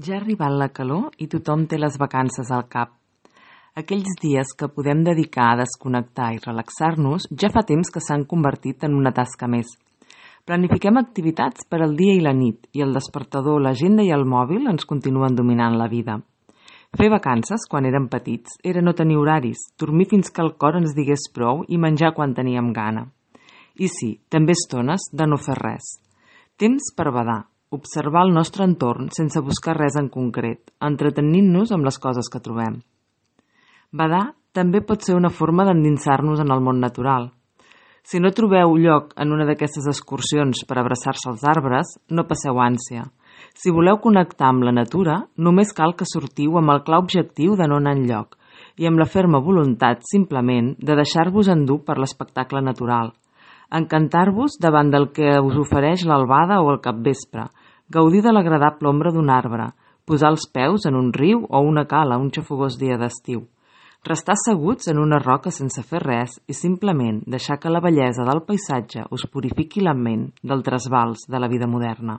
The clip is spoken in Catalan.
Ja ha arribat la calor i tothom té les vacances al cap. Aquells dies que podem dedicar a desconnectar i relaxar-nos ja fa temps que s'han convertit en una tasca més. Planifiquem activitats per al dia i la nit i el despertador, l'agenda i el mòbil ens continuen dominant la vida. Fer vacances, quan érem petits, era no tenir horaris, dormir fins que el cor ens digués prou i menjar quan teníem gana. I sí, també estones de no fer res. Temps per badar, observar el nostre entorn sense buscar res en concret, entretenint-nos amb les coses que trobem. Badar també pot ser una forma d'endinsar-nos en el món natural. Si no trobeu lloc en una d'aquestes excursions per abraçar-se als arbres, no passeu ànsia. Si voleu connectar amb la natura, només cal que sortiu amb el clar objectiu de no anar enlloc i amb la ferma voluntat, simplement, de deixar-vos endur per l'espectacle natural. Encantar-vos davant del que us ofereix l'albada o el capvespre, gaudir de l'agradable ombra d'un arbre, posar els peus en un riu o una cala un xafogós dia d'estiu, restar asseguts en una roca sense fer res i simplement deixar que la bellesa del paisatge us purifiqui la ment del trasbals de la vida moderna.